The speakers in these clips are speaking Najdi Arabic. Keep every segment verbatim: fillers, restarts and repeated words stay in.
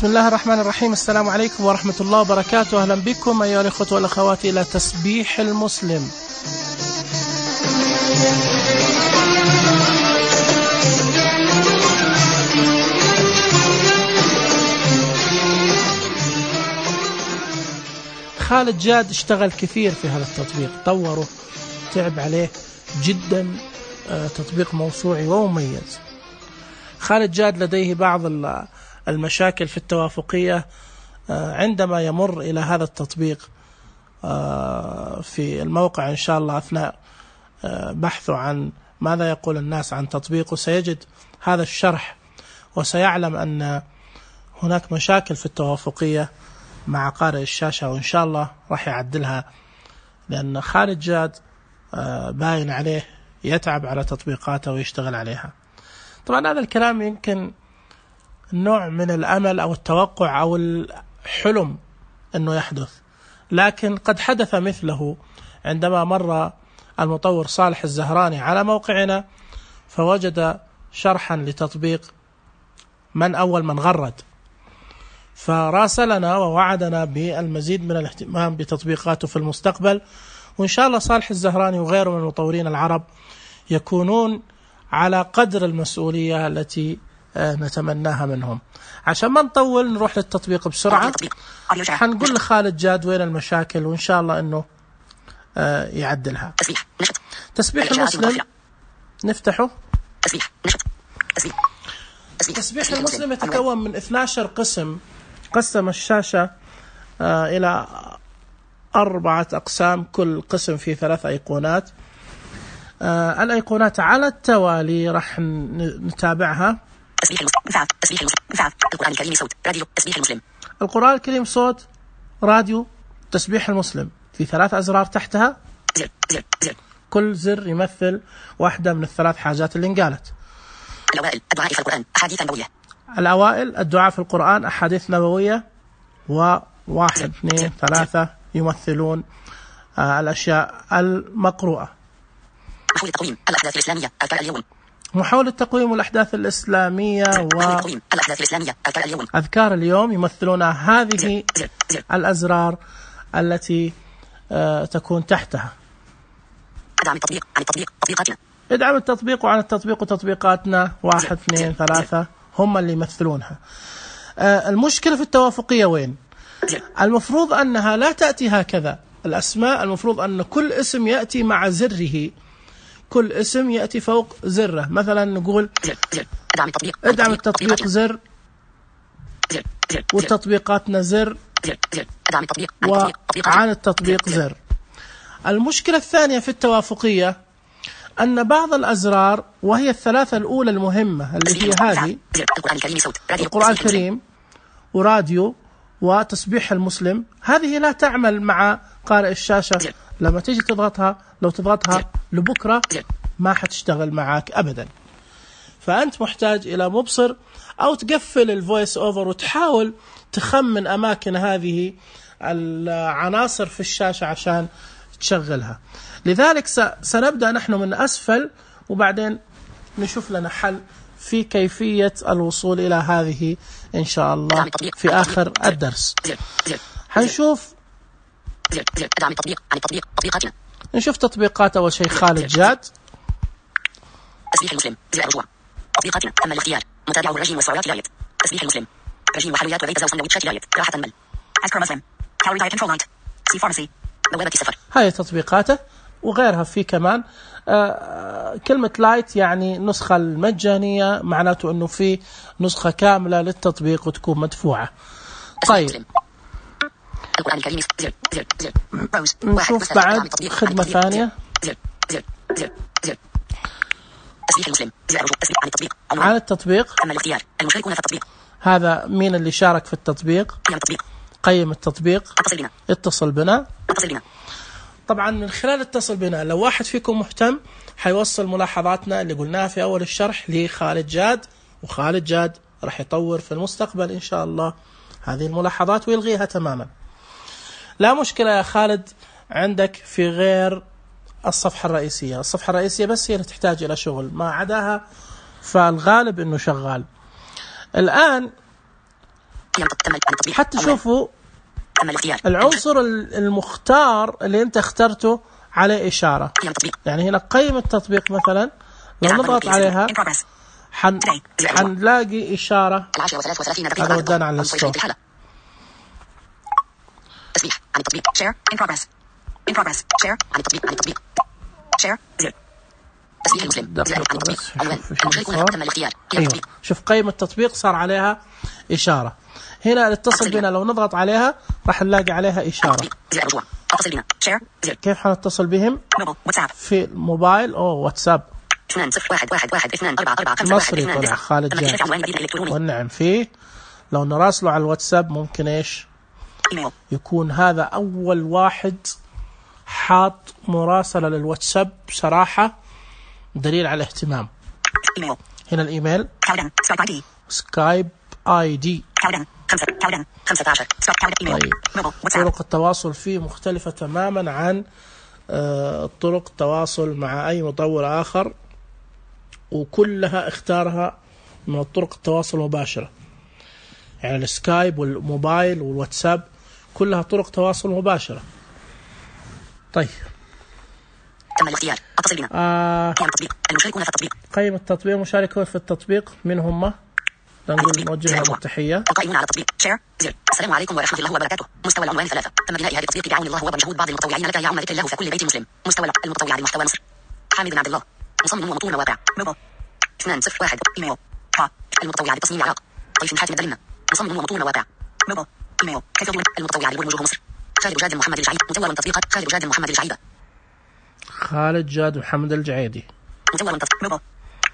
بسم الله الرحمن الرحيم. السلام عليكم ورحمة الله وبركاته. أهلا بكم أيها الأخوة والأخوات إلى تسبيح المسلم. خالد جاد اشتغل كثير في هذا التطبيق، طوره، تعب عليه جدا، تطبيق موسوعي ومميز. خالد جاد لديه بعض المشاكل في التوافقية عندما يمر إلى هذا التطبيق في الموقع إن شاء الله. أثناء بحثه عن ماذا يقول الناس عن تطبيقه سيجد هذا الشرح، وسيعلم أن هناك مشاكل في التوافقية مع قارئ الشاشة، وإن شاء الله راح يعدلها، لأن خالد جاد باين عليه يتعب على تطبيقاته ويشتغل عليها. طبعا هذا الكلام يمكن نوع من الأمل أو التوقع أو الحلم أنه يحدث، لكن قد حدث مثله عندما مر المطور صالح الزهراني على موقعنا فوجد شرحا لتطبيق من أول من غرد، فراسلنا ووعدنا بالمزيد من الاهتمام بتطبيقاته في المستقبل. وإن شاء الله صالح الزهراني وغيره من المطورين العرب يكونون على قدر المسؤولية التي نتمناها منهم. عشان ما نطول نروح للتطبيق بسرعة. حنقول لخالد جاد وين المشاكل، وإن شاء الله أنه يعدلها. تسبيح المسلم نفتحه. تسبيح المسلم يتكون من اثني عشر قسم. قسم الشاشة إلى أربعة أقسام، كل قسم فيه ثلاث أيقونات. الأيقونات على التوالي راح نتابعها. تسبيح المسلم، تسبيح المسلم، القرآن الكريم صوت، راديو، تسبيح المسلم. القرآن الكريم صوت، راديو، تسبيح المسلم. في ثلاث أزرار تحتها، زر زر زر. كل زر يمثل واحدة من الثلاث حاجات اللي انقالت. الأوائل الدعاء في القرآن، أحاديث نبوية. الأوائل الدعاء في القرآن، أحاديث نبوية، وواحد اثنين ثلاثة يمثلون آه الأشياء المقروءة. محاولة التقويم الأحداث الإسلامية أذكار اليوم. محاولة التقويم والأحداث الإسلامية والأحداث الإسلامية أذكار اليوم. أذكار اليوم يمثلون هذه الأزرار التي آه تكون تحتها. ادعم التطبيق عن التطبيق تطبيقاتنا. ادعم التطبيق وعن التطبيق وتطبيقاتنا، واحد اثنين ثلاثة هم اللي يمثلونها. آه المشكلة في التوافقية وين؟ المفروض أنها لا تأتي هكذا. الأسماء المفروض أن كل اسم يأتي مع زره، كل اسم يأتي فوق زره. مثلا نقول ادعم التطبيق, ادعم التطبيق زر، والتطبيقاتنا زر، وعن التطبيق زر. المشكلة الثانية في التوافقية أن بعض الأزرار، وهي الثلاثة الأولى المهمة اللي هي هذه، القرآن الكريم وراديو وتسبيح المسلم، هذه لا تعمل مع قارئ الشاشة. لما تيجي تضغطها، لو تضغطها لبكرة ما حتشتغل معك أبدا. فأنت محتاج إلى مبصر، أو تقفل الفويس أوفر وتحاول تخمن أماكن هذه العناصر في الشاشة عشان تشغلها. لذلك سنبدأ نحن من أسفل، وبعدين نشوف لنا حل في كيفية الوصول إلى هذه إن شاء الله في آخر الدرس. حنشوف ادعم التطبيق عن التطبيق تطبيقاتنا. نشوف تطبيقات. أول شيء خالد جاد، تسبيح المسلم، زر الرجوع، تطبيقاتنا، تم الاختيار، متابعه الرجيم والسعرات لايت، تسبيح المسلم، رجيم وحلويات وبيتزا وسندوتشات لايت، راحة مل، أذكر مسلم، كالوري دايت كنترول لايت، سي فارماسي، بوابة سفر. هاي تطبيقاته وغيرها. في كمان آه كلمة لايت يعني نسخة المجانية، معناته أنه في نسخة كاملة للتطبيق وتكون مدفوعة. طيب القرآن الكريم زر زر زر. نشوف بعد خدمة ثانية. زر زر زر زر. تسبيح المسلم، زر تسبيح عن التطبيق. عن التطبيق. تم الاختيار، المشاركون في التطبيق. هذا مين اللي شارك في التطبيق؟ قيم التطبيق. قيم التطبيق. اتصل بنا. اتصل بنا. اتصل بنا. طبعا من خلال اتصل بنا، لو واحد فيكم مهتم حيوصل ملاحظاتنا اللي قلناها في أول الشرح لخالد جاد، وخالد جاد راح يطور في المستقبل إن شاء الله هذه الملاحظات ويلغيها تماما. لا مشكلة يا خالد عندك في غير الصفحة الرئيسية. الصفحة الرئيسية بس هي اللي تحتاج إلى شغل، ما عداها فالغالب إنه شغال. الآن حتى شوفوا العنصر المختار اللي انت اخترته عليه إشارة. يعني هنا قيم التطبيق مثلا لو نضغط عليها حن... حنلاقي إشارة. هذا ودانا على الستوب. تسبيح عن التطبيق. share in progress in progress share عن التطبيق عن التطبيق share زر تسبيح المسلم زر عن التطبيق عنوان المشاركون تم الاختيار. أيوة. شوف قيم التطبيق صار عليها إشارة. هنا الاتصل بنا لو نضغط عليها راح نلاقي عليها إشارة. زر رجوع اتصل بنا share زر. كيف حنتصل بهم؟ في الموبايل أو واتساب. اثنان صفر واحد واحد واحد اثنان أربعة أربعة خمسة مصري طلع خالد جاد. والنعم فيه لو نراسله على الواتساب ممكن إيش يكون هذا أول واحد حاط مراسلة للواتساب بصراحة دليل على اهتمام. هنا الإيميل سكايب آي دي. طيب. طرق التواصل فيه مختلفة تماما عن طرق التواصل مع أي مطور آخر، وكلها اختارها من طرق التواصل المباشرة. يعني السكايب والموبايل والواتساب كلها طرق تواصل مباشرة. طيب تم الاختيار اتصل بنا. آه. قيم التطبيق المشاركون في التطبيق. قيم التطبيق المشاركون في التطبيق من هم؟ نقول نوجه لهم التحية. القائمون على التطبيق شير زر. السلام عليكم ورحمة الله وبركاته. مستوى العنوان ثلاثة. تم بناء هذا التطبيق بعون الله وبمجهود بعض المتطوعين الذين يعون ذكر الله في كل بيت مسلم. مستوى المتطوع لمحتوى مصر حامد بن عبد الله مصمم ومطور مواقع. اثنان صفر واحد ايميل المتطوع لتصميم العراق. طيف حاتم الدلمة مصمم ومطور مواقع. ايميل كتب المتطوع لبلوغ وجوه مصر. خالد جاد محمد الجعيد مطور تطبيقات. خالد جاد محمد الجعيدة. خالد جاد محمد الجعيدي مطور تطبيق.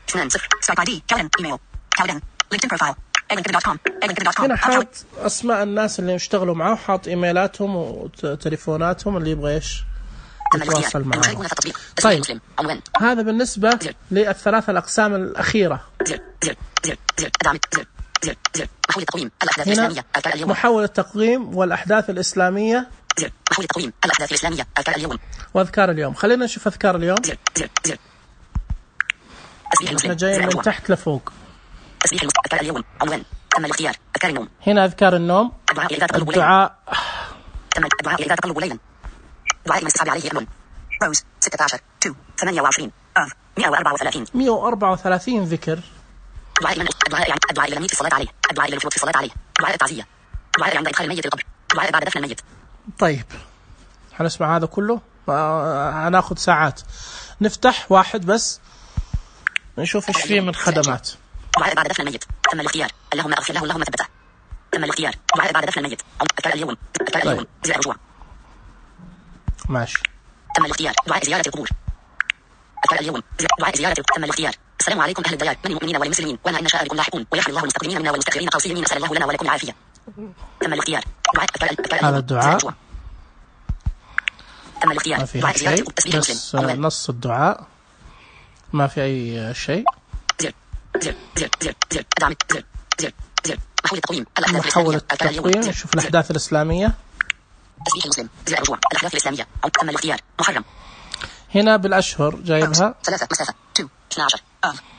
اثنان صفر سكايب اي دي كالن ايميل كالن لينكدين بروفايل ايجن دوت كوم ايجن دوت كوم. هنا حاط اسماء الناس اللي يشتغلوا معه وحاط ايميلاتهم وتليفوناتهم اللي يبغى ايش يتواصل معهم. طيب هذا بالنسبة للثلاث الأقسام الأخيرة. زر زر زر زر ادعم زر زر زر محول التقويم الأحداث الإسلامية أذكار اليوم. محول التقويم والأحداث الإسلامية. زر محول التقويم الأحداث الإسلامية أذكار اليوم. وأذكار اليوم. خلينا نشوف أذكار اليوم. زر زر زر احنا جايين من تحت لفوق. تسبيح أذكار اليوم عنوان تم الاختيار أذكار النوم. هنا أذكار النوم. الدعاء تم الدعاء إذا تقلب ليلا. دعاء من استصحاب عليه يأمن. روز ستة عشر تو ثمانية وعشرين أف مئة وأربعة وثلاثين مئة وأربعة وثلاثين ذكر. دعاء من الدعاء يعني الدعاء إلى الميت في الصلاة عليه. الدعاء إلى الوفود في الصلاة عليه. دعاء التعزية. دعاء عند إدخال الميت القبر. دعاء بعد دفن الميت. طيب هنسمع هذا كله. هناخذ ساعات. نفتح واحد بس نشوف ايش فيه من خدمات. دعاء بعد دفن الميت. تم الاختيار اللهم اغفر له اللهم ثبته. تم الاختيار دعاء بعد دفن الميت. أذكار اليوم أذكار اليوم زر رجوع. ماشي. تم الاختيار دعاء زيارة القبور. أذكار اليوم دعاء زيارة. تم الاختيار السلام عليكم أهل الديار من المؤمنين والمسلمين وأنا إن شاء بكم لاحقون ويحمي الله المستقدمين منا والمستأخرين قوسي يمين أسأل الله لنا ولكم العافية. تم الاختيار دعاء أذكار هذا الدعاء. تم الاختيار ما في شيء بس نص الدعاء ما في أي شيء. زر زر زر زر زر ادعم زر زر زر محول التقويم محول التقويم. شوف الأحداث الإسلامية. تسبيح المسلم زر رجوع الأحداث الإسلامية. تم الاختيار محرم. هنا بالأشهر جايبها ثلاثة مسافة تو اثنا عشر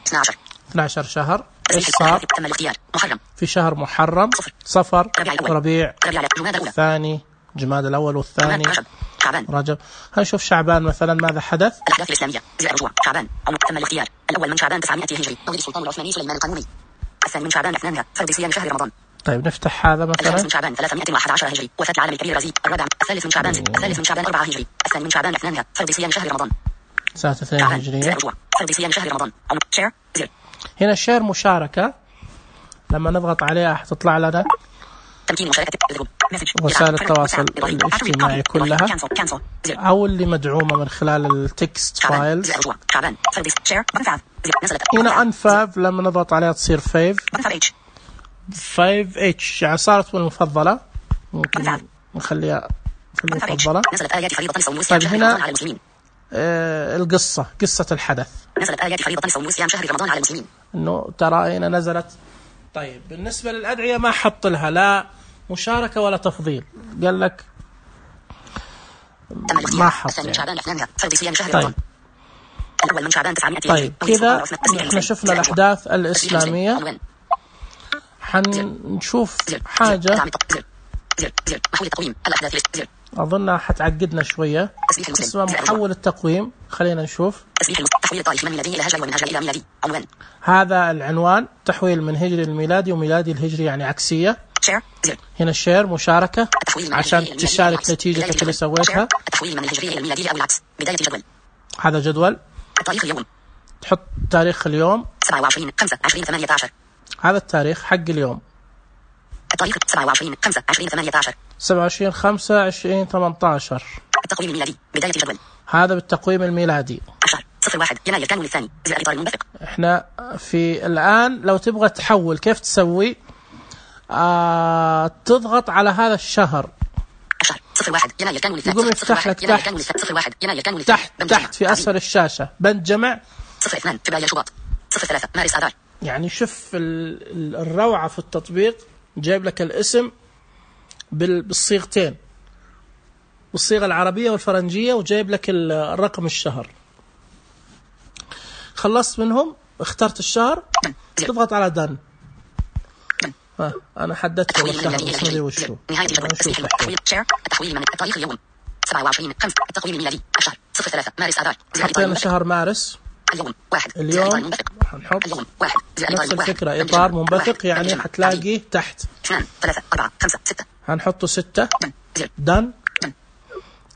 اثنا عشر اثنا عشر شهر. إيش صار؟ تم الاختيار محرم. في شهر محرم صفر ربيع ربيع الثاني جماد الأول والثاني شعبان رجب. هنشوف شعبان مثلا ماذا حدث. الأحداث الإسلامية زر رجوع شعبان. تم الاختيار الأول من شعبان تسعمائة هجري مولد السلطان العثماني سليمان القانوني. الثاني من شعبان اثنان فرض صيام شهر رمضان. طيب نفتح هذا مثلا. الثالث من شعبان ثلاثمائة وأحد عشر هجري وفاة العالم الكبير الرزيق. الرابع الثالث من شعبان الثالث من شعبان أربعة هجري. الثاني من شعبان اثنان فرض صيام شهر رمضان. سنة اثنين هجرية. فرض صيام شهر رمضان. شير زر. هنا الشير مشاركة. لما نضغط عليها حتطلع لنا تمكين مشاركة وسائل التواصل الاجتماعي كلها أو اللي مدعومة من خلال التكست فايلز. هنا أنفاف لما نضغط عليها تصير فايف فايف اتش يعني صارت المفضلة. ممكن نخليها في المفضلة. طيب هنا آه القصة قصة الحدث. نزلت آيات فريضة صوم وصيام شهر رمضان على المسلمين. إنه ترى هنا نزلت. طيب بالنسبة للأدعية ما حط لها لا مشاركة ولا تفضيل. قال لك ما حط يعني. طيب الأول من شعبان تسعمائة. طيب كذا احنا شفنا الأحداث الإسلامية. حنشوف حاجة أظنها حتعقدنا شوية اسمها محول التقويم. خلينا نشوف هذا العنوان، تحويل من هجري الميلادي وميلادي الهجري يعني عكسية. هنا الشير مشاركة عشان تشارك نتيجتك اللي سويتها. هذا جدول تحط تاريخ اليوم سبعة وعشرين خمسة عشرين ثمانية عشر. هذا التاريخ حق اليوم التاريخ سبعة وعشرين خمسة عشرين ثمانية عشر. سبعة وعشرين خمسة عشرين ثمانية عشر. التقويم الميلادي بداية الجدول هذا بالتقويم الميلادي. عشر صفر واحد يناير كانون الثاني زائد إطار المنبثق. احنا في الآن لو تبغى تحول كيف تسوي؟ آه تضغط على هذا الشهر عشر صفر واحد يناير كانون الثاني. يقوم يفتح لك تحت صفر واحد يناير كانون الثاني تحت تحت في أسفل الشاشة بند جمع صفر اثنان فبراير شباط صفر ثلاثة مارس آذار. يعني شوف الروعة في التطبيق، جايب لك الاسم بالصيغتين، بالصيغة العربية والفرنجية، وجايب لك الرقم الشهر. خلصت منهم، اخترت الشهر، تضغط على دن. ها أنا حددت الشهر بس ما ادري وش هو. نهاية التحويل شير التحويل من التاريخ اليوم سبعة وعشرين خمسة التقويم الميلادي عشر صفر ثلاثة مارس آذار. حطينا شهر مارس. اليوم واحد اليوم حنحط اليوم واحد نفس الفكرة إطار منبثق، يعني حتلاقي تحت اثنان ثلاثة أربعة خمسة ستة. هنحطه ستة دن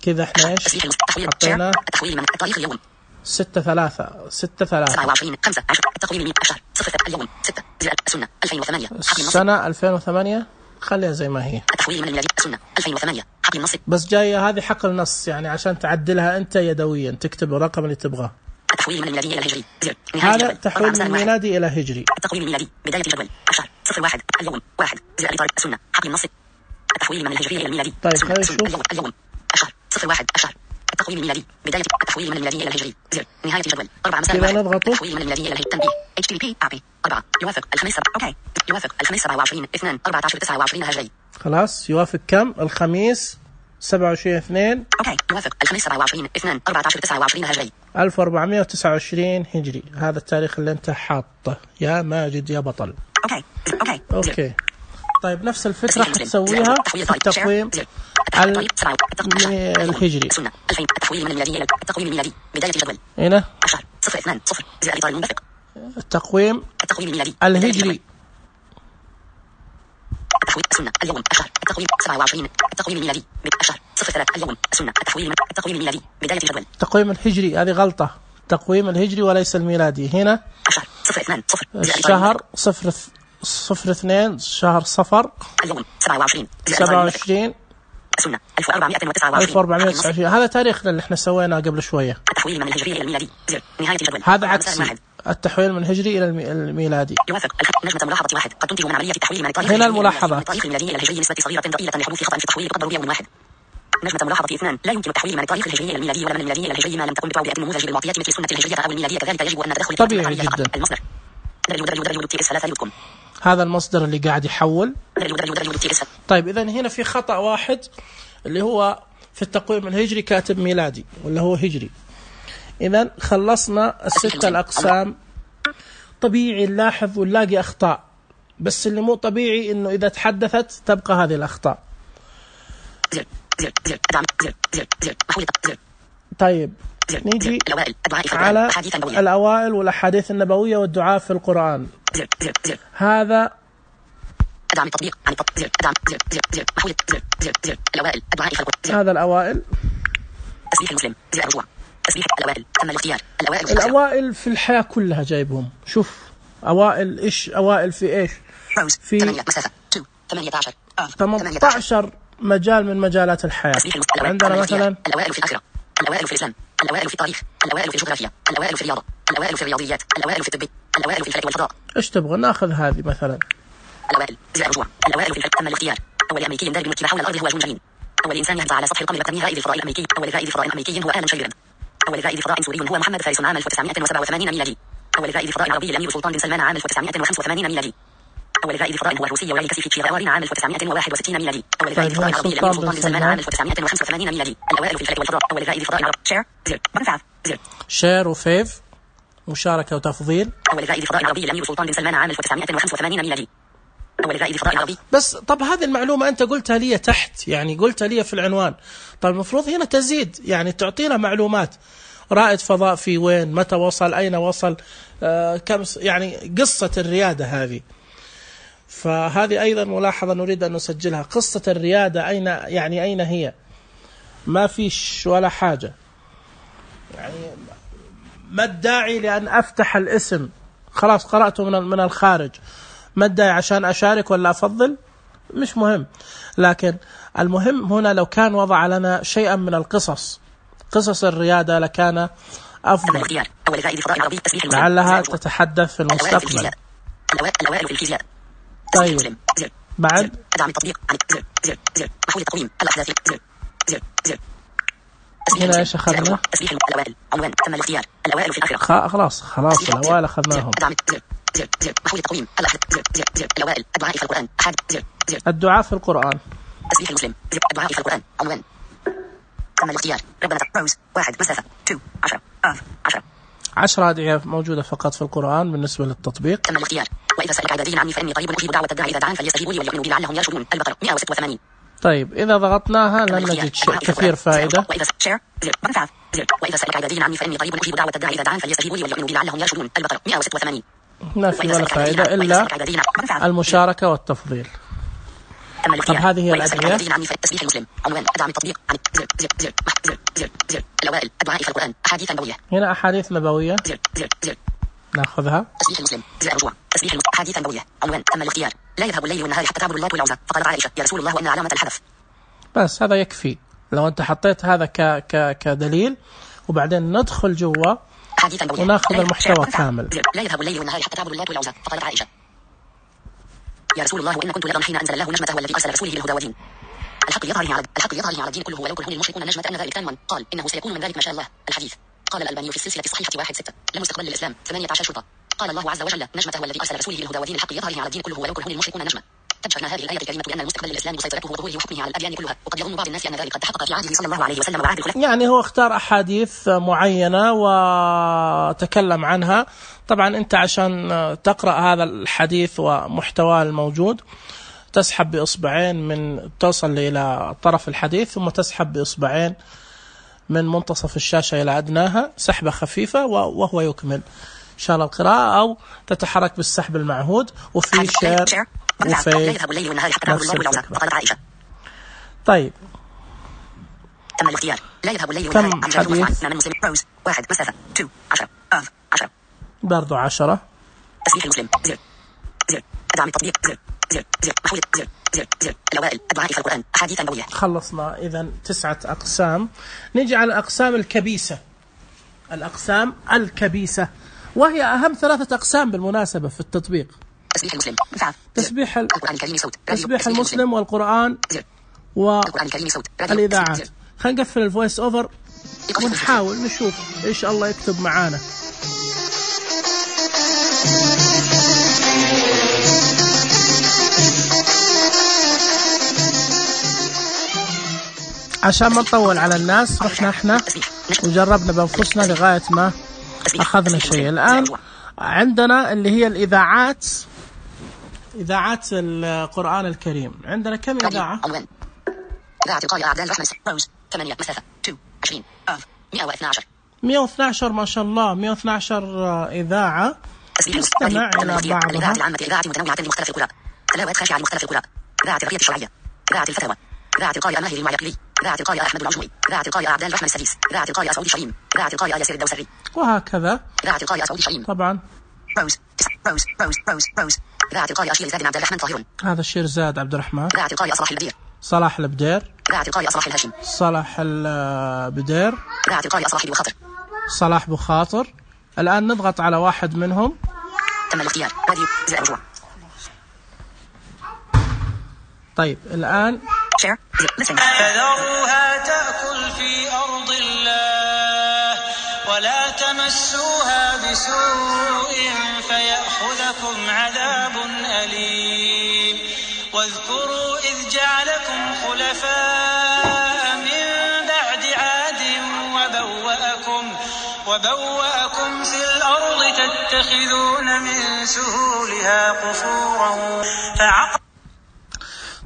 كذا. احنا ايش حطينا؟ التحويل من التاريخ اليوم ستة ثلاثة ستة ثلاثة سبعة وعشرين خمسة عشر التقويم من عشر صفر اليوم ستة السنة ألفين وثمانية. السنة ألفين وثمانية خليها زي ما هي. التحويل من الميلادي السنة ألفين وثمانية حقل النص. بس جاية هذه حقل نص، يعني عشان تعدلها أنت يدويا تكتب الرقم اللي تبغاه. التحويل من الميلادي إلى الهجري. هذا تحويل من الميلادي إلى هجري. التقويم الميلادي بداية الجدول عشر صفر واحد اليوم واحد زائد إطار السنة حقل النص. التحويل من الهجري إلى الميلادي. طيب خلينا نشوف. اليوم اليوم عشر صفر واحد عشر التقويم الميلادي بداية التحويل من الميلادي إلى الهجري زر نهاية الجدول أربعة مساء واحد. التحويل من الميلادي إلى الهجري تنبيه إتش تي بي أعطي أربعة يوافق الخميس سبعة. أوكي يوافق الخميس سبعة وعشرين اثنان أربعة عشر تسعة وعشرين هجري. خلاص يوافق كم؟ الخميس سبعة وعشرين اثنين. أوكي يوافق الخميس سبعة وعشرين اثنان أربعة عشر تسعة وعشرين هجري. ألف وأربعمائة وتسعة وعشرين هجري. هذا التاريخ اللي أنت حاطه يا ماجد يا بطل. أوكي أوكي أوكي. طيب نفس الفكرة حتسويها في التقويم الهجري. التحويل من الميلادي إلى التقويم الميلادي بداية الجدول هنا عشر صفر اثنان صفر زائد إطار المنبثق. التقويم التقويم الميلادي الهجري. التحويل السنة اليوم عشر التقويم سبعة وعشرين التقويم الميلادي عشر صفر ثلاثة اليوم السنة التحويل التقويم الميلادي بداية الجدول. التقويم الهجري هذه غلطة، التقويم الهجري وليس الميلادي. هنا عشر صفر اثنان صفر الشهر صفر صفر اثنين شهر صفر. اليوم سبعة وعشرين سبعة وعشرين السنة ألف وأربعمائة وتسعة وعشرين. ألف وأربعمائة وتسعة وعشرين هذا تاريخنا اللي احنا سويناه قبل شوية. التحويل من الهجري إلى الميلادي نهاية الجدول. هذا عكسي، التحويل من الهجري إلى الميلادي. يوافق نجمة ملاحظة واحد قد تنتج من عملية التحويل من التاريخ هنا الملاحظة التاريخ الميلادي إلى الهجري نسبة صغيرة ضئيلة لحدوث خطأ في التحويل تقدر بيوم واحد. نجمة ملاحظة اثنان لا يمكن التحويل من التاريخ الهجري إلى الميلادي ولا من الميلادي إلى الهجري ما لم تكن بتوضيح النموذج بالمعطيات مثل السنة الهجرية أو الميلادية. كذلك يجب أن تدخل طبيعي جدا. المصدر هذا المصدر اللي قاعد يحول. طيب إذن هنا في خطأ واحد اللي هو في التقويم الهجري كاتب ميلادي ولا هو هجري. إذن خلصنا الستة الأقسام. طبيعي نلاحظ ونلاقي أخطاء، بس اللي مو طبيعي إنه إذا تحدثت تبقى هذه الأخطاء. طيب نيجي على الأوائل والأحاديث النبوية والدعاء في القرآن. هذا دعم التطبيق عن التطبيق دعم محول الأوائل الدعاء في القرآن. هذا الأوائل تسبيح المسلم زي الرجوع تسبيح الأوائل تم الاختيار الأوائل في الأوائل في الحياة كلها جايبهم. شوف أوائل إيش أوائل في إيش في ثمانية عشر ثمانية عشر مجال من مجالات الحياة. عندنا مثلا الأوائل في الآخرة الأوائل في الإسلام الأوائل في التاريخ الأوائل في الجغرافيا الأوائل في الرياضة الأوائل في الرياضيات الأوائل في الطب الأوائل في الفلك والفضاء. إيش تبغى ناخذ هذه مثلا الأوائل زي الرجوع الأوائل في الفلك تم الاختيار. أول أمريكي يندرج بالمكتبة حول الأرض هو جون جرين. أول إنسان يهبط على سطح القمر بقدم رائد الفضاء الأمريكي. أول رائد فضاء أمريكي هو آلان شيريدان. أول رائد فضاء سوري هو محمد فارس عام ألف وتسعمائة وسبعة وثمانين ميلادي. أول رائد فضاء عربي الأمير سلطان بن سلمان عام ألف وتسعمائة وخمسة وثمانين ميلادي. أول رائد فضاء هو الروسي وعلي كاسيفيتش غاوارين عام ألف وتسعمائة وواحد وستين ميلادي. أول رائد فضاء عربي الأمير سلطان بن سلمان عام ألف وتسعمائة وخمسة وثمانين ميلادي. الأوائل في الفلك والفضاء. أول رائد فضاء عربي شير زر بنفعل زر شير وفيف مشاركة وتفضيل. أول رائد فضاء عربي الأمير سلطان بن سلمان عام ألف وتسعمائة وخمسة وثمانين ميلادي. أول الرائد فضاء العربي. بس طب هذه المعلومة أنت قلتها لي تحت، يعني قلتها لي في العنوان. طب المفروض هنا تزيد، يعني تعطينا معلومات. رائد فضاء في وين، متى وصل، أين وصل، آه كم، يعني قصة الريادة هذه. فهذه أيضا ملاحظة نريد أن نسجلها، قصة الريادة أين، يعني أين هي؟ ما فيش ولا حاجة. يعني ما الداعي لأن أفتح الاسم؟ خلاص قرأته من من الخارج، ما الداعي عشان أشارك ولا أفضل؟ مش مهم. لكن المهم هنا لو كان وضع لنا شيئا من القصص، قصص الريادة لكان أفضل، لعلها تتحدث في المستقبل. الأوائل في الفيزياء. طيب بعد أدعم التطبيق عن زر زر زر محول التقويم الأحداث زر زر زر هنا ايش اخذنا؟ تسبيح الأوائل عنوان تم الاختيار الأوائل في الآخرة. خلاص خلاص الأوائل أخذناهم. أدعم زر زر زر محول التقويم الأحداث زر زر زر الأوائل الدعاء في القرآن أحد زر زر الدعاء في القرآن. تسبيح المسلم زر الدعاء في القرآن عنوان تم الاختيار ربنا روز واحد مسافة تو عشرة آف عشرة عشرة أدعية موجودة فقط في القرآن بالنسبة للتطبيق. تم الاختيار وإذا سألك عبادي عني فإني قريب أجيب دعوة الداعي إذا دعان فليستجيبوا لي وليؤمنوا بي لعلهم يرشدون. البقرة مئة وستة وثمانين. طيب إذا ضغطناها لن نجد شيء كثير فائدة. وإذا شير زر منفعة زر وإذا سألك عبادي عني فإني قريب أجيب دعوة الداعي إذا دعان فليستجيبوا لي وليؤمنوا بي لعلهم يرشدون. البقرة مئة وستة وثمانين. ما في ولا فائدة إلا المشاركة والتفضيل. طب هذه هي الأدعية. تسبيح المسلم عنوان أدعم التطبيق عن زر زر زر زر زر زر الأوائل الدعاء في القرآن أحاديث نبوية. هنا أحاديث نبوية زر زر زر ناخذها. تسبيح المسلم زر رجوع تسبيح المسلم أحاديث نبوية عنوان تم الاختيار لا يذهب الليل والنهار حتى تعبد اللات والعزى فقالت عائشة يا رسول الله وإن علامة الحدث. بس هذا يكفي لو أنت حطيت هذا ك ك كدليل وبعدين ندخل جوا وناخذ المحتوى كامل. لا يذهب الليل والنهار حتى تعبد اللات والعزى فقالت عائشة يا رسول الله وإن كنت لأرى حين أنزل الله نجمته والذي أرسل رسوله بالهدى ودين الحق يظهر على الحق يظهر على الدين كله ولو كره المشركون نجمة أن ذلك كان قال إنه سيكون من ذلك ما شاء الله. الحديث قال الألباني في السلسلة الصحيحة واحد ستة لم يستقبل للإسلام ثمانية عشر شرطة. قال الله عز وجل نجمته والذي أرسل رسوله بالهدى ودين الحق يظهر على الدين كله ولو كره المشركون نجمة. تبشرنا هذه الآية الكريمة بأن المستقبل للإسلام وسيطرته وظهوره وحكمه على الأديان كلها وقد يظن بعض الناس أن ذلك قد تحقق في عهده صلى الله عليه وسلم وعهد الخلفاء. يعني هو اختار أحاديث معينة وتكلم عنها. طبعا أنت عشان تقرأ هذا الحديث ومحتواه الموجود تسحب بإصبعين من توصل إلى طرف الحديث ثم تسحب بإصبعين من منتصف الشاشة إلى أدناها سحبة خفيفة وهو يكمل إن شاء الله القراءة، أو تتحرك بالسحب المعهود وفي شير وفي نفس الفكرة. طيب تم الاختيار لا يذهب الليل كم حديث؟ من مسلم روز واحد مسافة تو عشرة آف عشرة برضو عشرة. تسبيح المسلم زر زر أدعم التطبيق زر زر زر محول زر زر زر الأوائل الدعاء في القرآن أحاديث نبوية. خلصنا إذا تسعة أقسام. نجي على الأقسام الكبيسة. الأقسام الكبيسة وهي أهم ثلاثة أقسام بالمناسبة في التطبيق. تسبيح المسلم تسبيح القرآن الكريم صوت تسبيح المسلم والقرآن والإذاعات. خلينا نقفل الفويس أوفر ونحاول نشوف إيش الله يكتب معانا. عشان ما نطول على الناس رحنا احنا وجربنا بأنفسنا لغاية ما أخذنا شيء. الآن عندنا اللي هي الإذاعات، إذاعات القرآن الكريم. عندنا كم إذاعة؟ إذاعة القارئ أعداد رحمة روز ثمانية مسافة تو عشرين آف مئة واثنى عشر مئة واثنى عشر ما شاء الله مئة واثنى عشر إذاعة. نستمع إلى بعضها. الإذاعة العامة إذاعة متنوعة لمختلف القراء تلاوات خاشعة لمختلف القراء إذاعة الرقية الشرعية إذاعة الفتاوى إذاعة القارئ ماهر المعيقلي إذاعة القارئ أحمد العجمي إذاعة القارئ عبدال رحمة السديس إذاعة القارئ سعودي شريم إذاعة القارئ ياسر الدوسري وهكذا. إذاعة القارئ سعودي شريم طبعا روز روز روز روز روز إذاعة القارئ أشير زاد عبد الرحمن طاهر هذا الشير زاد عبد الرحمن. إذاعة القارئ صلاح البدير صلاح البدير إذاعة القارئ صلاح الهاشم صلاح البدير إذاعة القارئ صلاح بخاطر صلاح بخاطر. الآن نضغط على واحد منهم. تم الاختيار راديو زر رجوع. طيب الآن فذروها تأكل في أرض الله ولا تمسوها بسوء فيأخذكم عذاب أليم. واذكروا إذ جعلكم خلفاء من بعد عاد وبوأكم وبوأكم في الأرض تتخذون من سهولها قصورا فعقر.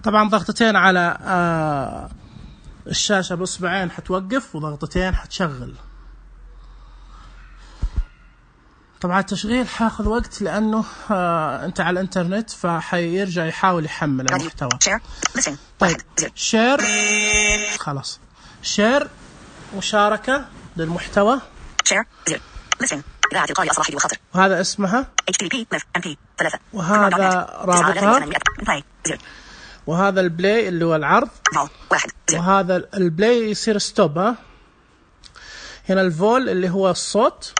طبعا ضغطتين على آه الشاشة بإصبعين حتوقف، وضغطتين حتشغل. طبعا التشغيل حاخذ وقت لأنه آه أنت على الإنترنت، فحيرجع يحاول يحمل المحتوى. طيب شير، خلاص شير مشاركة للمحتوى. وهذا اسمها، وهذا رابطها، وهذا البلاي اللي هو العرض، وهذا البلاي يصير ستوب. ها هنا الفول اللي هو الصوت،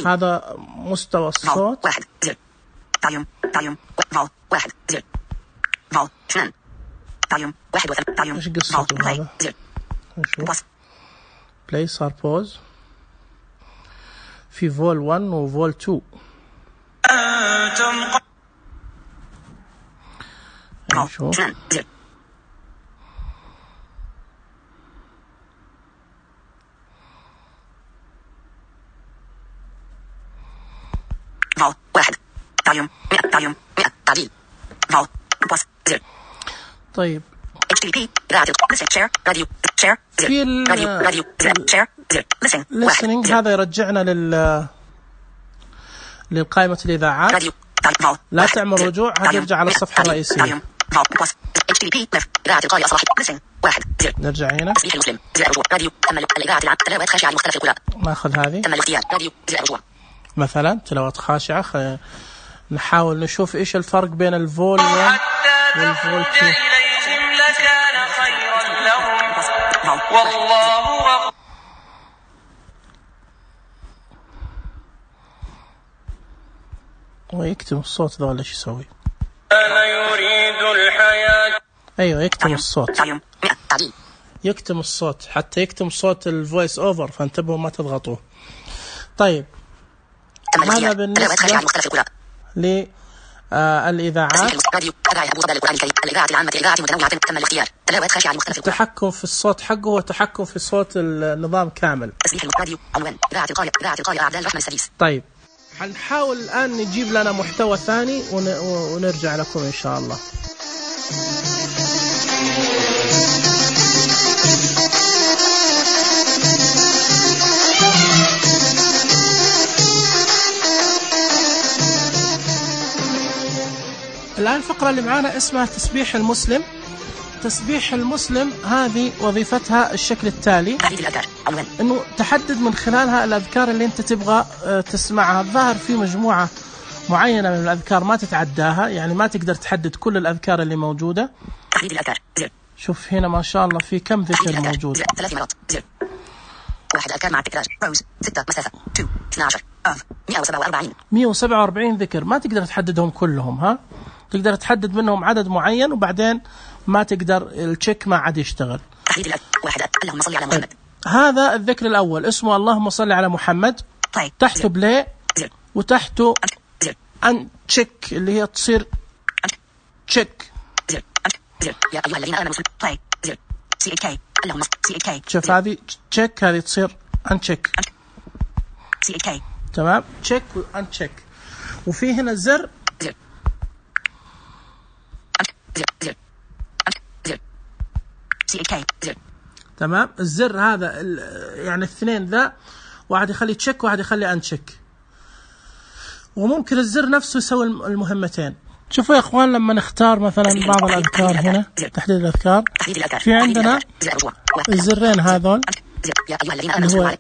هذا مستوى الصوت. ايش قصته هذا؟ نشوف. بلاي صار بوز، في فول واحد وفول اثنين. نشوف. واحد تعليم مئة تعليم مئة تعديل فول بوس زر. طيب اتش تي بي راديو شير راديو شير في راديو راديو شير ليسن listening. هذا يرجعنا لل للقائمة الإذاعات. راديو لا تعمل رجوع، هذا يرجع على الصفحة الرئيسية. اتش تي بي راديو قارئ صلاحي ليسن واحد نرجع هنا. تصبيح المسلم رجوع راديو تم الإذاعة العام تلاوات خاشعة لمختلف القراء. ناخذ هذه. تم الاختيار راديو رجوع مثلا تلاوات خاشعة. خ... نحاول نشوف إيش الفرق بين الفول والفول تو. إليهم لكان خيرا لهم والله غفور. ويكتم الصوت ذا ولا ايش يسوي؟ أنا يريد الحياة. أيوة يكتم الصوت، تعليم مئة تعديل يكتم الصوت حتى يكتم صوت الفويس أوفر، فانتبهوا ما تضغطوه. طيب هذا بالنسبة للإذاعات. التحكم في الصوت حقه وتحكم في صوت النظام كامل. طيب حنحاول الآن نجيب لنا محتوى ثاني ونرجع لكم إن شاء الله. الآن الفقرة اللي معانا اسمها تسبيح المسلم. تسبيح المسلم هذه وظيفتها الشكل التالي، انه تحدد من خلالها الأذكار اللي انت تبغى تسمعها. الظاهر في مجموعة معينة من الأذكار ما تتعداها، يعني ما تقدر تحدد كل الأذكار اللي موجودة. شوف هنا ما شاء الله في كم ذكر موجود. ثلاث مرات زر واحد أذكار مع التكرار روز ستة مسافة اثنين اثنا عشر أف مئة وسبعة وأربعين مئة وسبعة وأربعين ذكر. ما تقدر تحددهم كلهم، ها تقدر تحدد منهم عدد معين وبعدين ما تقدر التشيك ما عاد يشتغل. واحد اللهم صل على محمد. هذا الذكر الأول اسمه اللهم صل على محمد. طيب. تحته بلاي وتحته أن تشيك اللي هي تصير تشيك. يا أيها الذين آمنوا طيب سي كي اللهم سي كي. شوف هذه تشيك، هذه تصير أن تشيك. سي كي تمام تشيك وأن تشيك. وفي هنا زر تمام. الزر هذا يعني الاثنين ذا، واحد يخلي تشيك واحد يخلي ان تشيك، وممكن الزر نفسه يسوي المهمتين. شوفوا يا اخوان لما نختار مثلا بعض الاذكار هنا تحديد الاذكار، في عندنا الزرين هذول اللي هو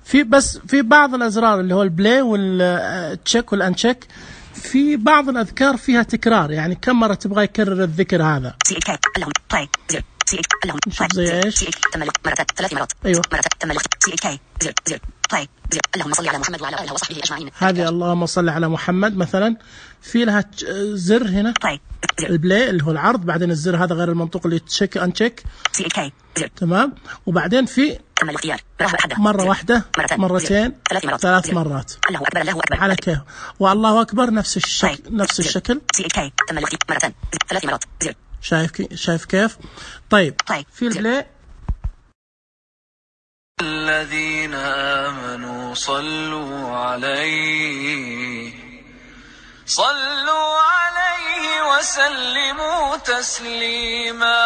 في بس في بعض الازرار اللي هو البلاي والتشيك والانشيك. في بعض الأذكار فيها تكرار، يعني كم مرة تبغى يكرر الذكر هذا. نشوف زي إيش. ثلاث مرات. أيوة. طيب اللهم صل على محمد وعلى آله وصحبه أجمعين. هذه اللهم صل على محمد مثلا في لها زر هنا. طيب. البلاي اللي هو العرض، بعدين الزر هذا غير المنطوق اللي تشيك أنشيك. تمام. وبعدين في مرة واحدة مرتين ثلاث مرات. الله أكبر الله أكبر على كيف. والله أكبر نفس الشكل نفس الشكل. مرتين ثلاث مرات. شايف كي... شايف كيف. طيب في البلاي الذين آمنوا صلوا عليه صلوا عليه وسلموا تسليما.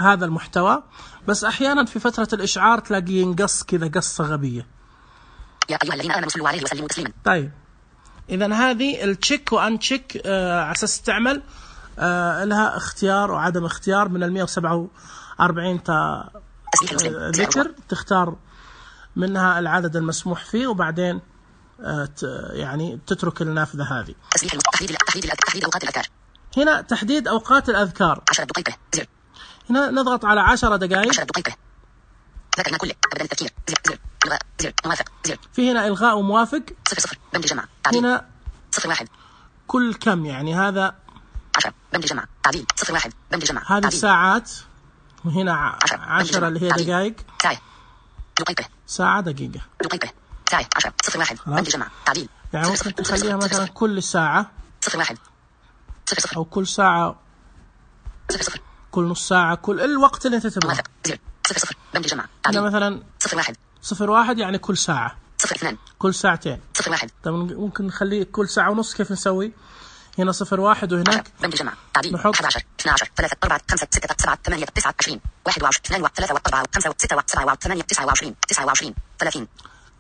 هذا المحتوى، بس أحيانا في فترة الإشعار تلاقي ينقص كذا قصة غبية. يا أيها الذين آمنوا صلوا عليه وسلموا تسليما. طيب إذن هذه التشيك وأن تشيك آه على أساس تعمل آه لها اختيار وعدم اختيار. من المئة وسبعة وأربعين تا ذكر تختار منها العدد المسموح فيه، وبعدين آه يعني تترك النافذة هذه. هنا تحديد أوقات الأذكار. هنا نضغط على عشر دقائق. ذكرنا كله أبدا التفكير. زر إلغاء زر موافق زر. في هنا إلغاء وموافق. صفر صفر بند جمع تعديل. هنا صفر واحد كل كم يعني هذا عشرة بند جمع تعديل. صفر واحد بند جمع هذه الساعات، وهنا عشرة اللي هي دقائق. ساعة دقيقة ساعة دقيقة دقيقة ساعة عشرة. صفر واحد بند جمع تعديل. يعني ممكن تخليها مثلا كل ساعة صفر واحد صفر صفر أو كل ساعة صفر صفر كل نص ساعة، كل الوقت اللي أنت تبغاه. موافق زر صفر صفر بند جمع هنا تعديل. مثلا صفر واحد صفر واحد يعني كل ساعة. صفر اثنان كل ساعتين. صفر واحد طب ممكن نخليه كل ساعة ونص. كيف نسوي؟ هنا صفر واحد وهناك بند جمع تعديل. نحط أحد عشر اثنا عشر ثلاثة أربعة خمسة ستة سبعة ثمانية تسعة عشرين واحد وعشرين اثنان وثلاثة وأربعة وخمسة وستة وسبعة وثمانية تسعة وعشرين تسعة وعشرين ثلاثين.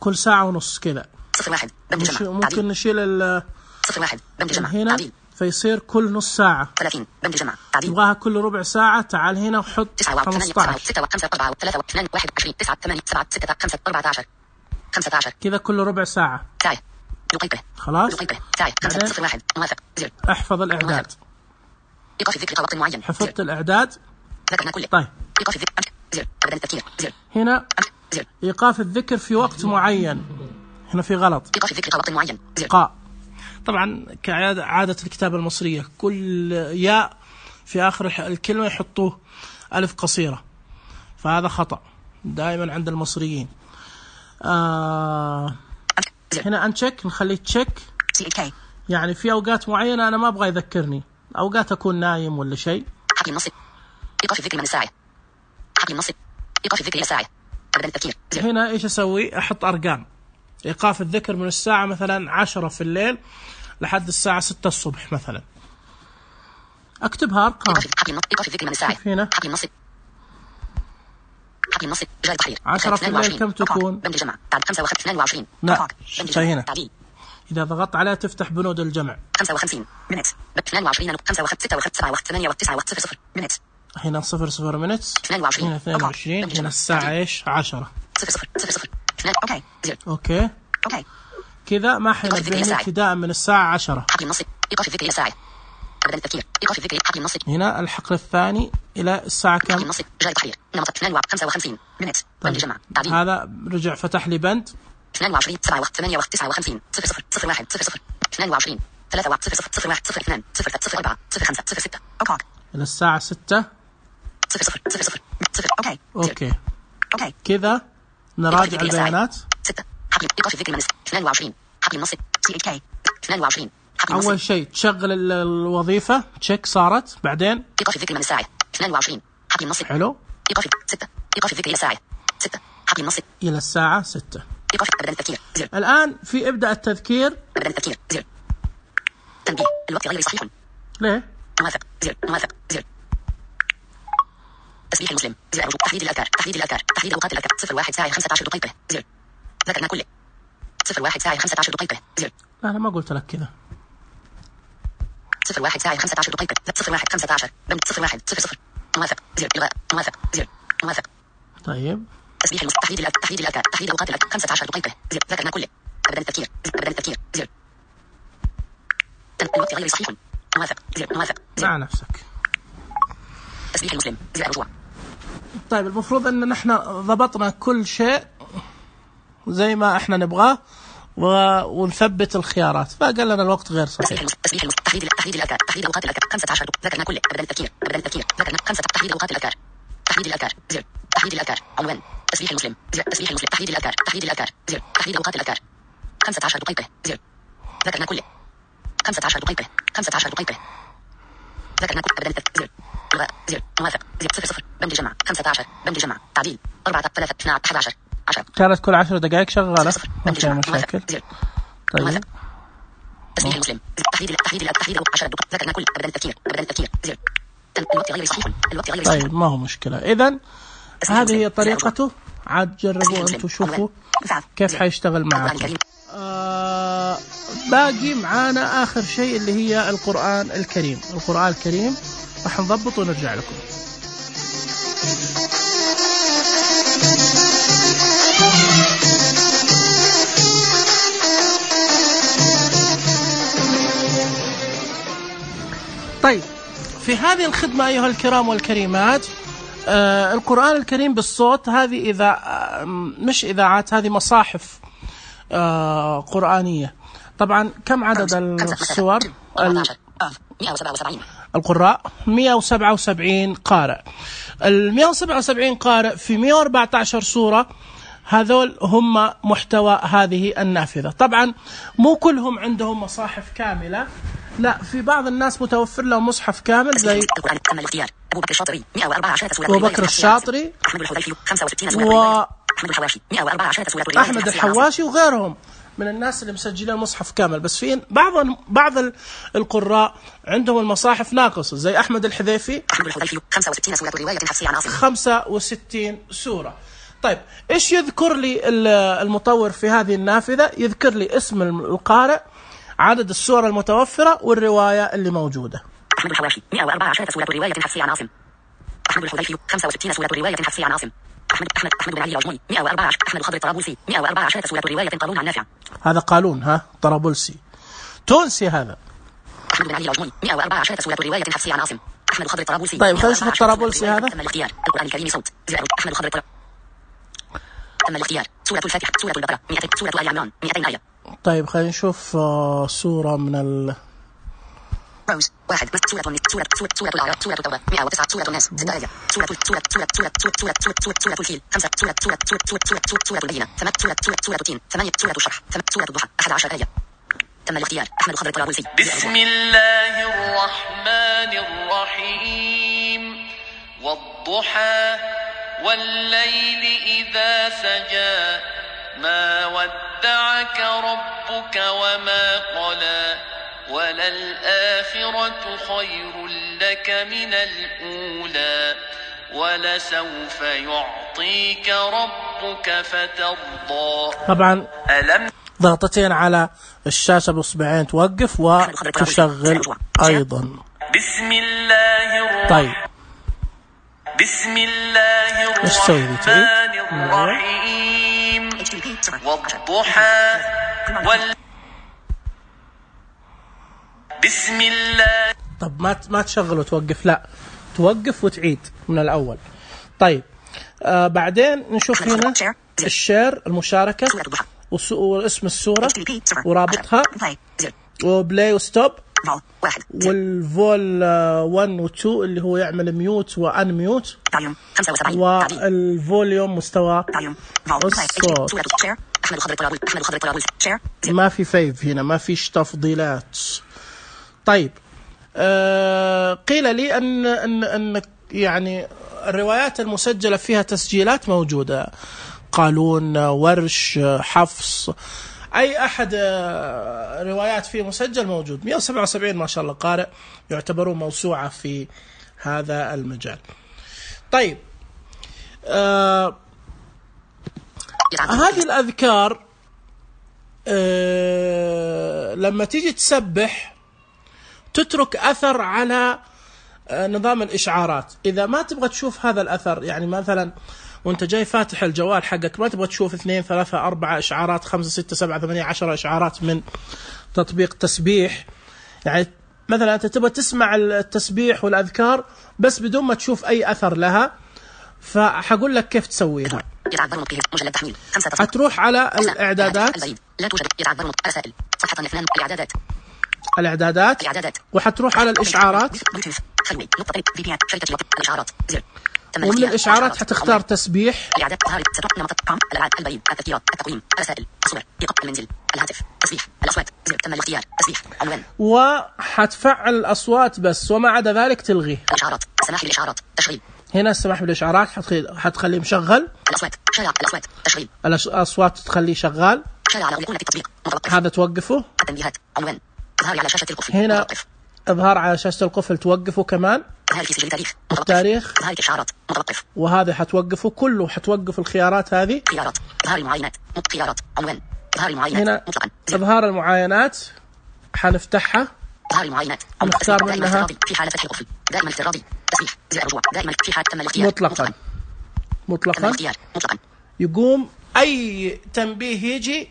كل ساعة ونص كذا. صفر واحد بند جمع تعديل. ممكن نشيل ال صفر واحد بند جمع هنا تعديل. فيصير كل نص ساعة. ثلاثين بند جمع تعديل. تبغاها كل ربع ساعة، تعال هنا وحط خمسة عشر. ستة وخمسة أربعة وثلاثة واثنان واحد وعشرين تسعة ثمانية سبعة ستة خمسة أربعة عشر خمسة عشر كذا كل ربع ساعة. ساعة دقيقة خلاص. دقيقة ساعة خمسة صفر واحد موافق زر. احفظ الإعداد. إيقاف الذكر وقت معين. حفظت الإعداد. ذكرنا كله. طيب إيقاف الذكر زر أبدا التفكير زر. هنا زر إيقاف الذكر في وقت معين. هنا في غلط. إيقاف الذكر وقت معين زر. قاء. طبعا كعادة عادة الكتابة المصرية كل ياء في آخر الكلمة يحطوه ألف قصيرة، فهذا خطأ دائما عند المصريين. آه هنا أنشك نخليه تشيك، يعني في أوقات معينة أنا ما أبغى يذكرني، أوقات أكون نايم ولا شيء. حقي النص إيقاف الذكر من الساعة. حقي النص إيقاف الذكر إلى الساعة أبدا التفكير. هنا إيش أسوي؟ أحط أرقام. إيقاف الذكر من الساعة مثلا عشرة في الليل لحد الساعة ستة الصبح مثلا، أكتبها أرقام. إيقاف الذكر من الساعة. هنا حقي النص حقي النص جاي تحرير. عشرة في الليل كم تكون؟ بند جمع بعد خمسة وخمسين اثنان وعشرين. لا شيء هنا إذا ضغطت عليها تفتح بنود الجمع. خمسة وخمسين منت اثنان وعشرين خمسة وخمسة ستة وخمسة سبعة وثمانية وتسعة وصفر صفر منت. هنا صفر صفر منت. اثنان وعشرين هنا اثنان وعشرين. هنا الساعة إيش؟ عشرة. صفر صفر صفر صفر اثنان. أوكي زر. أوكي أوكي كذا ما حينبهني ابتداء من الساعة عشرة. حقي النص إيقاف الذكر إلى الساعة أبدا التفكير. إيقاف الذكر حقي النص. هنا الحقل الثاني إلى الساعة كم؟ حقي النص جاي تحرير نمط اثنان وخمسة وخمسين منت. بند جمع تعديل. هذا رجع فتح لي بند اثنان وعشرين سبعة وثمانية وتسعة وخمسين صفر صفر صفر واحد صفر صفر اثنان وعشرين ثلاثة صفر صفر صفر واحد صفر اثنان صفر صفر أربعة صفر خمسة صفر ستة. أوكي إلى الساعة ستة صفر صفر صفر صفر صفر. أوكي أوكي أوكي كذا نراجع البيانات. ستة حقي إيقاف الذكر من اثنان وعشرين حقي النص سي إتش كي اثنان وعشرين. أول شيء تشغل الوظيفة تشيك صارت، بعدين إيقاف الذكر من الساعة اثنان وعشرين حقي النص. حلو. إيقاف ستة إيقاف الذكر إلى الساعة ستة حقي النص إلى الساعة ستة. إيقاف أبدا التفكير زر. الآن في إبدأ التذكير. أبدا التفكير زر. تنبيه الوقت غير صحيح. ليه؟ موافق زر موافق زر. تسبيح المسلم زر رجوع تحديد الأذكار تحديد الأذكار تحديد أوقات الأذكار صفر واحد ساعة خمسة عشر دقيقة زر. ذكرنا كله صفر واحد ساعة خمسة عشر دقيقة زر. لا أنا ما قلت لك كذا. صفر واحد ساعة خمسة عشر دقيقة صفر واحد خمسة عشر بند صفر واحد صفر صفر موافق زر إلغاء موافق زر موافق. طيب تسبيح المسلم تحديد الأذكار تحديد الأذكار تحديد أوقات الأذكار خمسة عشر دقيقة زر. ذكرنا كله أبدا التفكير أبدا التفكير زر. الوقت غير صحيح. موافق زر موافق زر. مع نفسك. تسبيح المسلم زر رجوع. طيب المفروض أن نحن ضبطنا كل شيء زي ما احنا نبغاه ونثبت الخيارات، فقال لنا الوقت غير صحيح. تسبيح المسلم تحديد تحديد الأذكار تحديد أوقات الأذكار خمسة عشر ذكرنا كله أبدا التفكير أبدا التفكير ذكرنا خمسة تحديد أوقات الأذكار تحديد الأذكار زر. تحديد الأذكار عنوان تسبيح المسلم زر. تسبيح المسلم تحديد الأذكار تحديد الأذكار زر. تحديد أوقات الأذكار خمسة عشر دقيقة زر. ذكرنا كله خمسة عشر دقيقة خمسة عشر دقيقة ذكرنا كله أبدا التفكير زر. الغاء زر موافق زر صفر صفر بند جمع خمسة عشر بند جمع تعديل أربعة ثلاثة اثنا أحد عشر عشرة كانت كل عشر دقائق شغالة ما فيها مشاكل. طيب تسميح المسلم تحديد تحديد تحديد عشرة ذكرنا كل أبدا التفكير أبدا التفكير زر الوقت غير صحيح الوقت غير صحيح. طيب ما هو مشكلة. إذن هذه هي طريقته. عاد جربوا أنتم شوفوا كيف حيشتغل معكم. آه باقي معانا آخر شيء اللي هي القرآن الكريم. القرآن الكريم راح نضبط ونرجع لكم. طيب في هذه الخدمة أيها الكرام والكريمات، آه القرآن الكريم بالصوت، هذه إذا آه مش إذاعات، هذه مصاحف آه قرآنية. طبعا كم عدد السور؟ القراء مئة وسبعة وسبعين قارئ. ال مئة وسبعة وسبعين قارئ في مئة وأربعة عشر سورة، هذول هم محتوى هذه النافذة. طبعا مو كلهم عندهم مصاحف كاملة، لا، في بعض الناس متوفر لهم مصحف كامل زي أبو بكر الشاطري مئة وأربعة عشر سورة، أبو بكر الشاطري، أحمد الحذيفي خمسة وستين سورة، وأحمد الحواشي مئة وأربعة عشر سورة، أحمد الحواشي وغيرهم من الناس اللي مسجلين مصحف كامل. بس في بعض بعض القراء عندهم المصاحف ناقصة زي أحمد الحذيفي أحمد الحذيفي خمسة وستين سورة، رواية حفصية عن عاصم خمسة وستين سورة. طيب إيش يذكر لي المطور في هذه النافذة؟ يذكر لي اسم القارئ، عدد السور المتوفرة، والرواية اللي موجودة. أحمد الحواشي مئة وأربعة عشر سورة، رواية حفصية عن عاصم. أحمد الحذيفي خمسة وستين سورة، رواية حفصية عن عاصم. أحمد أحمد أحمد بن علي العجمي مئة وأربعة عشر. أحمد الخضر الطرابلسي مئة وأربعة عشر سورة، رواية قالون عن نافع. هذا قالون، ها، طرابلسي تونسي هذا. أحمد بن علي العجمي مئة وأربعة عشر سورة، رواية حفصية عن عاصم. أحمد الخضر الطرابلسي. طيب خلينا نشوف الطرابلسي هذا. تم الاختيار القرآن الكريم صوت. أحمد الخضر الطرابلسي. تم الاختيار سورة الفاتحة، سورة البقرة، مئتين، سورة آل عمران مئتين آية. طيب خلينا نشوف سورة من ال روز واحد، سورة سورة سورة سورة الأعراف، سورة التوبة مئة وتسعة، سورة الناس ستة آية، سورة سورة سورة سورة سورة سورة سورة سورة سورة الفيل خمسة، سورة سورة سورة سورة سورة سورة سورة البينة ثمانية، سورة سورة سورة التين ثمانية، سورة الشرح سورة الضحى أحد عشر آية. تم الاختيار أحمد الخضر الطرابلسي. بسم الله الرحمن الرحيم. والضحى والليل إذا سجى ما ودعك ربك وما قلى وللآخرة خير لك من الأولى ولسوف يعطيك ربك فترضى. طبعا ألم ضغطتين على الشاشة بإصبعين توقف وتشغل أيضا. بسم الله الرحمن طيب بسم الله الرحمن الرحيم. والضحى وال بسم الله. طب ما ما تشغل وتوقف، لا توقف وتعيد من الأول. طيب آه بعدين نشوف هنا الشير، المشاركة، واسم السورة ورابطها، وبلاي وستوب، والفول واحد و اثنين اللي هو يعمل ميوت وان ميوت، والفوليوم مستوى الصوت. ما في فيف هنا، ما فيش تفضيلات. طيب آه قيل لي أن, أن, أن يعني الروايات المسجلة فيها تسجيلات موجودة، قالون، ورش، حفص، أي أحد روايات فيه مسجل موجود. مئة وسبعة وسبعين ما شاء الله قارئ يعتبرون موسوعة في هذا المجال. طيب آه هذه الأذكار آه لما تيجي تسبح تترك أثر على نظام الإشعارات. إذا ما تبغى تشوف هذا الأثر، يعني مثلا وانت جاي فاتح الجوال حقك ما تبغى تشوف اثنين ثلاثة أربعة إشعارات، خمسة ستة سبعة ثمانية عشرة إشعارات من تطبيق تسبيح، يعني مثلا أنت تبغى تسمع التسبيح والأذكار بس بدون ما تشوف أي أثر لها، فحقول لك كيف تسويها. هتروح على الإعدادات، لا توجد يتعذر رسائل صفحة اثنان، الإعدادات الإعدادات الإعدادات وحتروح على الإشعارات، الإشعارات زر. ومن الإشعارات حتختار تسبيح، الإعداد، طهارة، ستر، نمط، قام، الألعاب، البريد، التذكيرات، التقويم، الرسائل، الصور، إيقاع المنزل، الهاتف، تسبيح، الأصوات زر. تم الاختيار تسبيح، عنوان، وحتفعل الأصوات بس وما عدا ذلك تلغيه. الإشعارات السماح بالإشعارات تشغيل. هنا السماح بالإشعارات حتخليه مشغل. الأصوات شارع الأصوات تشغيل. الأصوات تخليه شغال. شارع على أيقونة التطبيق متوقف. هذا توقفه. التنبيهات عنوان إظهار على شاشة القفل هنا متوقف. إظهار على شاشة القفل توقفه كمان. إظهار في سجل تاريخ متوقف. التاريخ. إظهار الإشعارات متوقف. وهذا حتوقفه كله، حتوقف الخيارات هذه. خيارات إظهار المعاينات خيارات عنوان إظهار المعاينات هنا مطلقا. إظهار المعاينات حنفتحها. إظهار المعاينات نختار منها في حالة فتح القفل دائما افتراضي تسبيح زر الرجوع دائما في حالة تم الاختيار مطلقا مطلقا مطلقا يقوم أي تنبيه يجي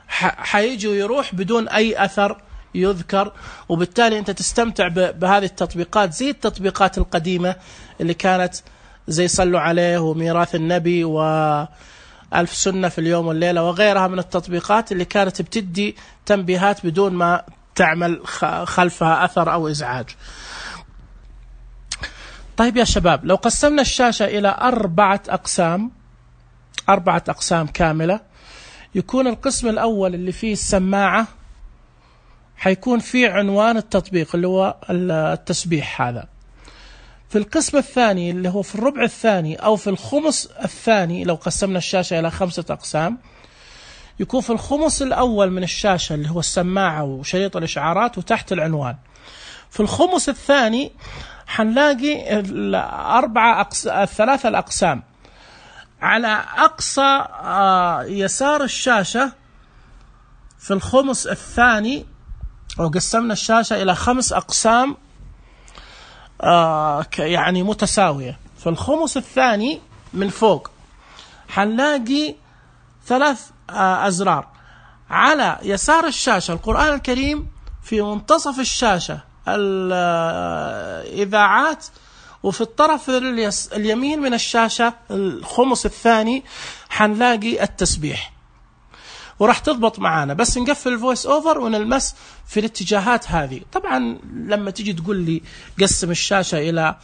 حيجي ويروح بدون أي أثر يذكر، وبالتالي أنت تستمتع بهذه التطبيقات زي التطبيقات القديمة اللي كانت زي صلوا عليه وميراث النبي وألف سنة في اليوم والليلة وغيرها من التطبيقات اللي كانت بتدي تنبيهات بدون ما تعمل خلفها أثر أو إزعاج. طيب يا شباب، لو قسمنا الشاشة إلى أربعة أقسام أربعة أقسام كاملة، يكون القسم الأول اللي فيه السماعة حيكون فيه عنوان التطبيق اللي هو التسبيح هذا. في القسم الثاني اللي هو في الربع الثاني أو في الخمس الثاني، لو قسمنا الشاشة إلى خمسة أقسام، يكون في الخمس الأول من الشاشة اللي هو السماعة وشريط الإشعارات وتحت العنوان. في الخمس الثاني حنلاقي الأربعة أقس... الثلاثة الأقسام على أقصى يسار الشاشة. في الخمس الثاني وقسمنا الشاشة إلى خمس أقسام يعني متساوية. في الخمس الثاني من فوق حنلاقي ثلاث أزرار. على يسار الشاشة القرآن الكريم، في منتصف الشاشة الإذاعات، وفي الطرف اليمين من الشاشة الخمس الثاني حنلاقي التسبيح. وراح تضبط معانا بس نقفل الفويس اوفر ونلمس في الاتجاهات هذه. طبعا لما تيجي تقول لي قسم الشاشة إلى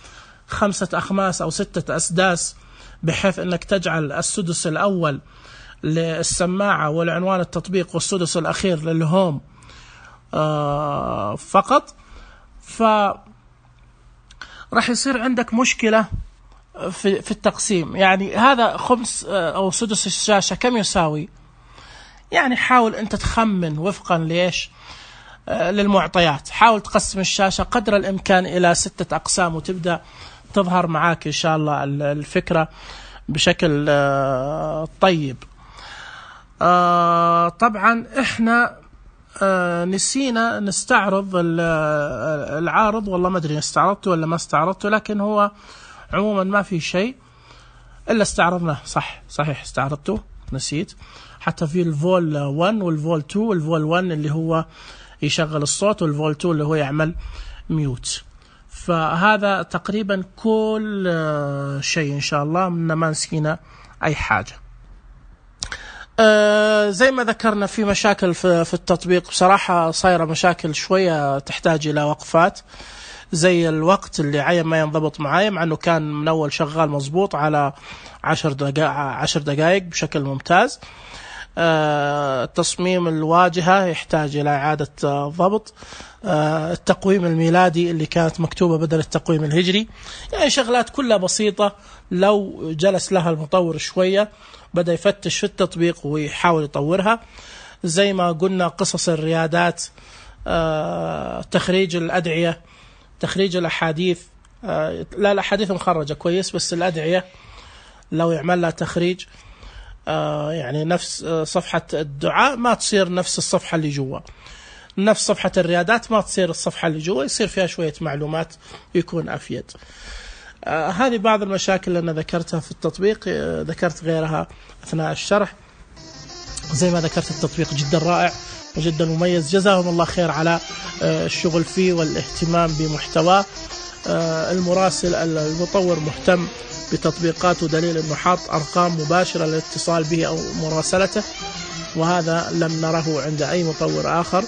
خمسة أخماس أو ستة أسداس بحيث أنك تجعل السدس الأول للسماعة والعنوان التطبيق والسدس الأخير للهوم آه فقط، ف راح يصير عندك مشكلة في في التقسيم. يعني هذا خمس أو سدس الشاشة كم يساوي؟ يعني حاول أنت تخمن وفقا ليش للمعطيات. حاول تقسم الشاشة قدر الإمكان إلى ستة أقسام وتبدأ تظهر معاك إن شاء الله الفكرة بشكل طيب. طبعا إحنا نسينا نستعرض العارض، والله ما أدري استعرضته ولا ما استعرضته، لكن هو عموما ما في شيء إلا استعرضناه. صح صحيح استعرضته، نسيت. حتى في الفول واحد والفول اثنين، والفول واحد اللي هو يشغل الصوت والفول اثنين اللي هو يعمل ميوت. فهذا تقريبا كل شيء إن شاء الله، من ما نسينا أي حاجة. آه زي ما ذكرنا في مشاكل في, في التطبيق بصراحة، صايرة مشاكل شوية تحتاج إلى وقفات، زي الوقت اللي عين ما ينضبط معايا، مع أنه كان من أول شغال مضبوط على عشر دقائق عشر دقائق بشكل ممتاز. آه تصميم الواجهة يحتاج إلى إعادة آه ضبط. آه التقويم الميلادي اللي كانت مكتوبة بدل التقويم الهجري، يعني شغلات كلها بسيطة لو جلس لها المطور شوية بدأ يفتش في التطبيق ويحاول يطورها. زي ما قلنا قصص الريادات، آه تخريج الأدعية، تخريج الأحاديث. آه لا الأحاديث مخرجة كويس، بس الأدعية لو يعمل لها تخريج آه يعني نفس آه صفحة الدعاء ما تصير نفس الصفحة اللي جوا، نفس صفحة الريادات ما تصير الصفحة اللي جوا، يصير فيها شوية معلومات يكون أفيد. آه هذه بعض المشاكل اللي أنا ذكرتها في التطبيق. آه ذكرت غيرها أثناء الشرح. زي ما ذكرت التطبيق جدا رائع وجدا مميز، جزاهم الله خير على آه الشغل فيه والاهتمام بمحتواه. آه المراسل المطور مهتم بتطبيقاته، دليل أنه حاط أرقام مباشرة للاتصال به أو مراسلته، وهذا لم نره عند أي مطور آخر.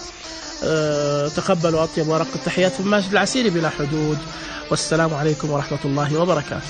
أه تقبلوا أطيب ورق التحيات من ماجد العسيري بلا حدود، والسلام عليكم ورحمة الله وبركاته.